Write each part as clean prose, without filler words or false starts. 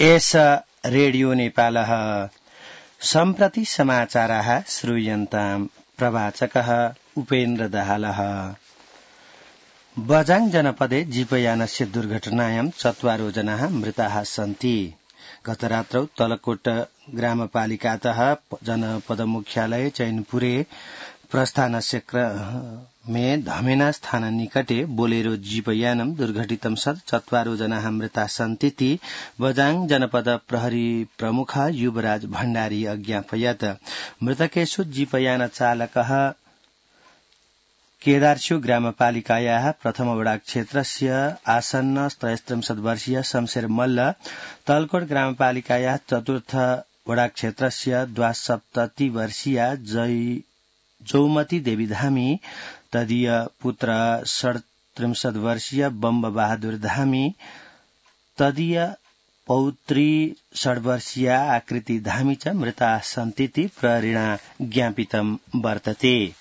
एष रेडियो नेपालः सम्प्रति समाचाराः श्रूयन्ताम् प्रवाचकः उपेन्द्र दाहालः। बझाङ जनपदे जीपयानस्य दुर्घटनायां 4 जनाः मृताः सन्ति। गतरात्रौ तलकोट ग्रामपालिकातः जनपद मुख्यालय चैनपुरे प्रस्थानस्य क्रमे धमेना स्थान निकटे बोलेरो जीपयानं दुर्घटितं सत् 4 जनाः मृताः सन्तीति बझाङ जनपद प्रहरी प्रमुख युवराज भण्डारी अज्ञापयत्। मृतकेषु जीपयान चालकः केदारस्यु ग्रामपालिकायाः प्रथम वडा क्षेत्रस्य आसन्न 33 वर्षीय शमशेर मल्ल, तलकोट ग्रामपालिकायाः चतुर्थ वडा क्षेत्रस्य 72 वर्षीय जौमती देवी धामी, तदीय पुत्र 37 वर्षीय बम्ब बहादुर धामी, तदीय पौत्री 6 वर्षीय आकृति धामी च मृताः सन्तीति प्रहरिणा ज्ञापितं वर्तते।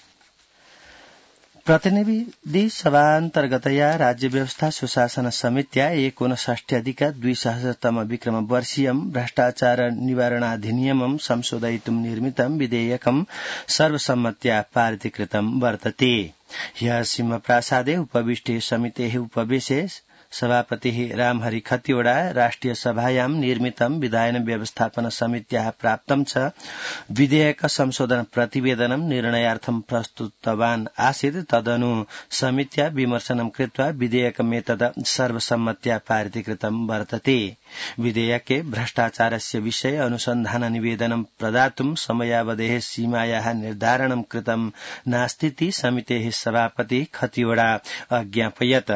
प्रतिनिधि सभान्तर्गतया राज्य व्यवस्था सुशासन समित्या 59+200 विक्रम वर्षीयं भ्रष्टाचार निवारणाधिनियमं संशोधयितुं निर्मितं विधेयकं सर्वसम्मत्या पारितीकृतं वर्तते। ह्यः सिंहप्रासादे उपविष्टे समितेः उपवेशे सभापतिः रामहरि खतिवड़ा राष्ट्रिय सभायां निर्मितं विधायन व्यवस्थापन समित्याः प्राप्तं च विधेयक संशोधन प्रतिवेदनं निर्णयार्थं प्रस्तुतवान् आसीत्। तदनु समित्या विमर्शनं कृत्वा विधेयकमेतद सर्वसम्मत्या पारितीकृतं वर्तते। विधेयके भ्रष्टाचारस्य विषये अनुसन्धान निवेदनं प्रदातुं समयावधेः सीमायाः निर्धारणं कृतं नास्तीति समितेः सभापति खतिवड़ा अज्ञापयत्।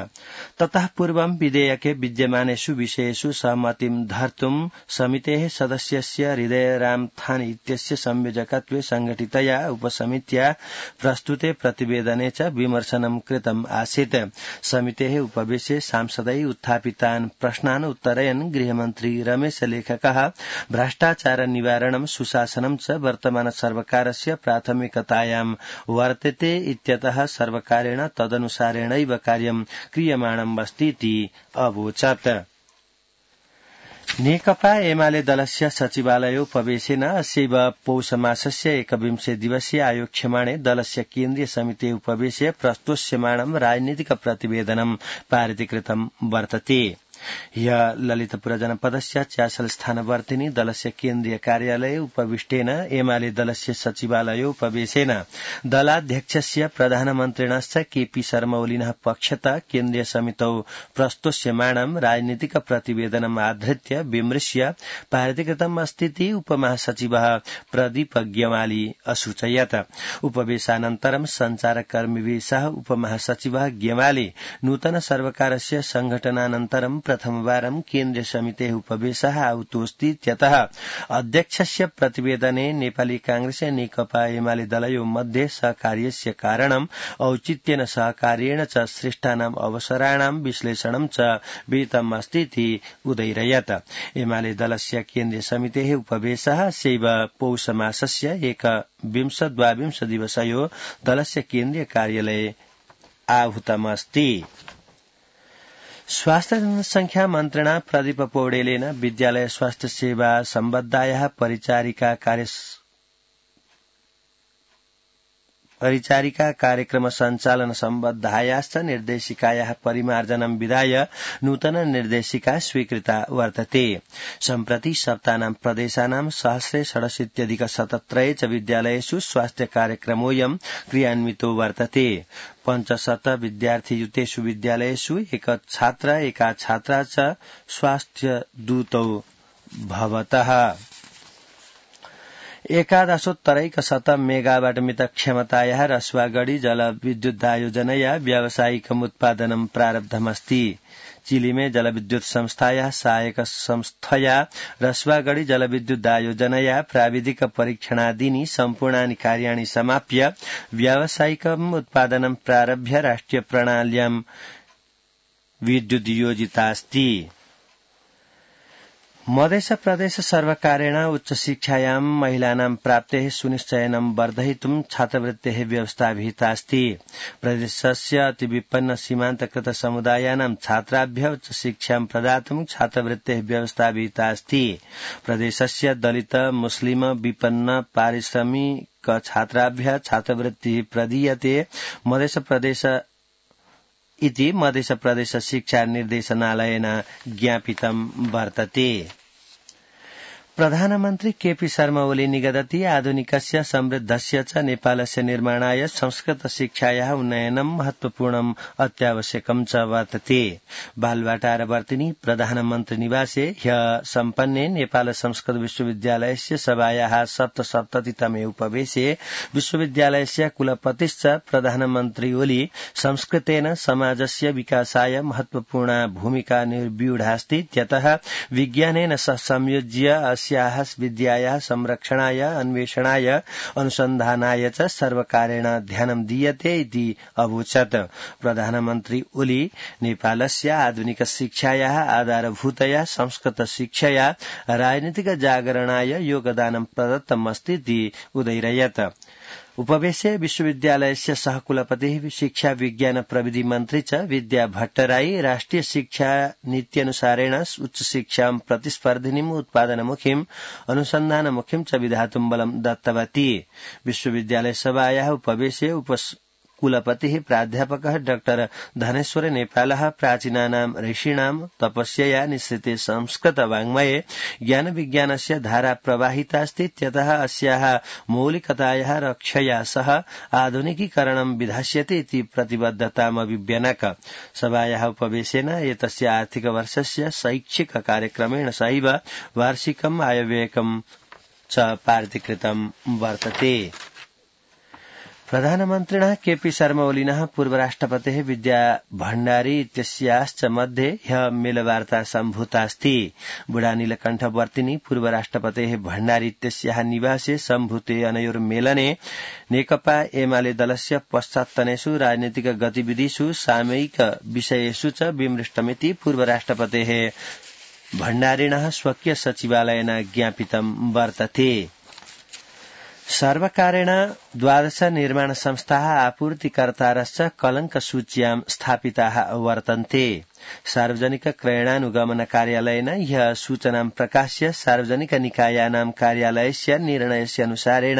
ततः पूर्वं विधेयके विद्यमानेषु विषयेषु सहमतिं धर्तुं समितेः सदस्यस्य हृदयराम थान इत्यस्य संयोजकत्वे संघटितया उपसमित्या प्रस्तुते प्रतिवेदने च विमर्शनं कृतम् आसीत्। समितेः उपवेशे सांसदै उत्थापितान् प्रश्नान् उत्तरयन् गृहमन्त्री रमेश लेखकः भ्रष्टाचार निवारणं सुशासनं च वर्तमान सर्वकारस्य प्राथमिकतायां वर्तते इत्यतः सर्वकारेण तदनुसारेणैव कार्यं क्रियमाणम् अस्तीति अवोचत्। नेकपा एमाले दलस्य सचिवालयोपवेशेन अस्यैव पौषमासस्य 21 दिवसीय आयोक्ष्यमाणे दलस्य केन्द्रीय समिति उपवेशे प्रस्तोष्यमाणं राजनीतिक प्रतिवेदनं पारितीकृतं वर्तते। ह्यः ललितपुर जनपदस्य च्यासल स्थानवर्तिनी दलस्य केन्द्रीय कार्यालये उपविष्टेन एमाले दलस्य सचिवालयोपवेशेन दलाध्यक्षस्य प्रधानमन्त्रिणश्च केपी शर्मा ओलिनः पक्षतः केन्द्रीय समितौ प्रस्तोष्यमाणं राजनीतिक प्रतिवेदनम् आधृत्य विमृश्य पारितीकृतम् अस्तीति उपमहासचिवः प्रदीप गेवाली असूचयत्। उपवेशानन्तरं सञ्चारकर्मिभिः सह उपमहासचिवः गेवाली नूतन सर्वकारस्य संघटनानन्तरं प्रथमवारं केन्द्रीय समितेः उपवेशः आहुतोऽस्तीत्यतः अध्यक्षस्य प्रतिवेदने नेपाली कांग्रेस नेकपा एमाले दलयोः मध्ये सहकार्यस्य कारणं औचित्येन सहकार्येण च सृष्टानाम् अवसराणां विश्लेषणं च विहितम् अस्तीति उदैरयत्। एमाले दलस्य केन्द्रीय समितेः उपवेशः अस्यैव पौषमासस्य 21-22 दिवसयो दलस्य केन्द्रीय कार्यालये आहूतमस्ति। स्वास्थ्य जनसंख्या मन्त्रिणा प्रदीप पौडेलेन विद्यालय स्वास्थ्य सेवा सम्बद्धायाः परिचारिका कार्यक्रम सञ्चालन सम्बद्धायाश्च निर्देशिकायाः परिमार्जनं विधाय नूतन निर्देशिका स्वीकृता वर्तते। सम्प्रति सप्तानां प्रदेशानां 167 च विद्यालयेषु स्वास्थ्य कार्यक्रमोऽयं क्रियान्वितो वर्तते। 500 विद्यार्थियुतेषु विद्यालयेषु एक छात्र एका छात्रा च स्वास्थ्य दूतौ भवतः। 11.1 मेगावाट मित क्षमतायाः रसुवागढी जलविद्युदायोजनया व्यावसायिकम् उत्पादनं प्रारब्धमस्ति। चिलीमे जलविद्युत संस्थायाः सहायक संस्थया रसुवागढी जलविद्युदायोजनया प्राविधिक परीक्षणादीनि सम्पूर्णानि कार्याणि समाप्य व्यावसायिकम् उत्पादनं प्रारभ्य राष्ट्रिय प्रणाल्यां विद्युद्योजितास्ति। मध्य प्रदेश सर्वकारेण उच्च शिक्षायां महिलानां प्राप्तेः सुनिश्चयनं वर्धयितुं छात्रवृत्तेः व्यवस्था विहिता अस्ति। प्रदेशस्य अतिविपन्न सीमान्तकृत समुदायानां छात्राभ्यः उच्च शिक्षां प्रदातुं छात्रवृत्तेः व्यवस्था विहिता अस्ति। प्रदेशस्य दलित मुस्लिम विपन्न पारिश्रमिक छात्राभ्यः छात्रवृत्तिः प्रदीयते। मध्य प्रदेश शिक्षा निर्देशनालयेन ज्ञापितं वर्तते। प्रधानमन्त्री केपी शर्मा ओली निगदति आधुनिकस्य समृद्धस्य च नेपालस्य निर्माणाय संस्कृत शिक्षायाः उन्नयनं महत्वपूर्णम् अत्यावश्यकं च वर्तते। बालवाटारवर्तिनी प्रधानमन्त्री निवासे ह्यः सम्पन्ने नेपाल संस्कृत विश्वविद्यालयस्य सभायाः 77तमे उपवेशे विश्वविद्यालयस्य कुलपतिश्च प्रधानमन्त्री ओली संस्कृतेन समाजस्य विकासाय महत्वपूर्णा भूमिका निर्व्यूढास्ति इत्यतः विज्ञानेन सह संयोज्य अस्याः विद्यायाः संरक्षणाय अन्वेषणाय अनुसन्धानाय च सर्वकारेण ध्यानं दीयते इति अवोचत्। प्रधानमन्त्री ओली नेपालस्य आधुनिक शिक्षायाः आधारभूतया संस्कृत शिक्षया राजनीतिक जागरणाय योगदानं प्रदत्तम् अस्ति इति उदयिरयत्। उपवेशे विश्वविद्यालयस्य सहकुलपतिः शिक्षा विज्ञान प्रविधि मन्त्री च विद्या भट्टराई राष्ट्रिय शिक्षा नीत्यनुसारेण उच्च शिक्षां प्रतिस्पर्धिनीम् उत्पादनमुखीम् अनुसन्धानमुखीम् च विधातुं बलं दत्तवती। विश्वविद्यालय सभायाः उपवेशे कुलपतिः प्राध्यापकः डॉक्टर धनेश्वर नेपालः प्राचीनानां ऋषीणां तपस्यया निःसृते संस्कृत वाङ्मये ज्ञान विज्ञानस्य धारा प्रवाहिता अस्ति इत्यतः अस्याः मौलिकतायाः रक्षया सह आधुनिकीकरणं विधास्यते इति प्रतिबद्धतामभिव्यनक। सभायाः उपवेशेन एतस्य आर्थिकवर्षस्य शैक्षिक कार्यक्रमेण सहैव वार्षिकम् आयव्ययकं च पारितीकृतं वर्तते। प्रधानमन्त्रिणः केपी शर्मा ओलिनः पूर्वराष्ट्रपतेः विद्या भण्डारी इत्यस्याश्च मध्ये ह्यः मेलवार्ता सम्भूतास्ति। बुढानीलकण्ठवर्तिनी पूर्वराष्ट्रपतेः भण्डारी इत्यस्याः निवासे सम्भूते अनयोर्मेलने नेकपा एमाले दलस्य पश्चात्तनेषु राजनीतिक गतिविधिषु सामयिक विषयेषु च विमृष्टमिति पूर्वराष्ट्रपतेः भण्डारिणः स्वकीय सचिवालयेन ज्ञापितं वर्तते। सर्वकारेण 12 निर्माण संस्थाः आपूर्तिकर्तारश्च कलङ्कसूच्यां स्थापिताः वर्तन्ते। सार्वजनिक क्रयणानुगमन कार्यालयेन ह्यः सूचनां प्रकाश्य सार्वजनिक निकायानां कार्यालयस्य निर्णयस्य अनुसारेण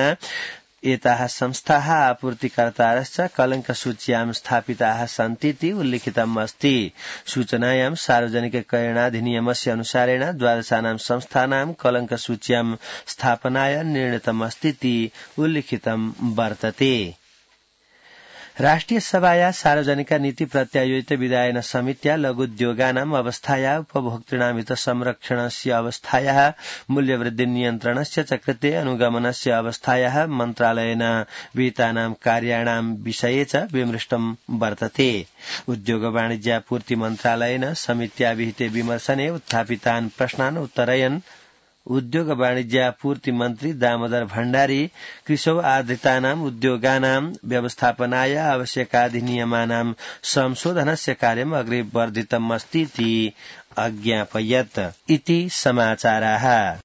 एताः संस्थाः आपूर्तिकर्तारश्च कलङ्कसूच्यां स्थापिताः सन्तीति उल्लिखितम् अस्ति। सूचनायां सार्वजनिक क्रयणाधिनियमस्य अनुसारेण 12 संस्थानां कलङ्कसूच्यां स्थापनाय निर्णीतमस्तीति उल्लिखितं वर्तते। राष्ट्रिय सभाया सार्वजनिक नीति प्रत्यायोजित विधायन समित्या लघुद्योगानाम् अवस्थाया उपभोक्तॄणां हितसंरक्षणस्य अवस्थायाः मूल्यवृद्धि नियन्त्रणस्य च कृते अनुगमनस्य अवस्थायाः मन्त्रालयेन विहितानां कार्याणां विषये च विमृष्टं वर्तते। उद्योग वाणिज्यापूर्ति मन्त्रालयेन समित्या विहिते विमर्शने उत्थापितान् प्रश्नान् उत्तरयन् उद्योग वाणिज्यापूर्ति मन्त्री दामोदर भण्डारी कृषौ आधृतानाम् उद्योगानां व्यवस्थापनाय आवश्यकाधिनियमानां संशोधनस्य कार्यम् अग्रे वर्धितम् अस्ति इति अज्ञापयत् इति समाचाराः।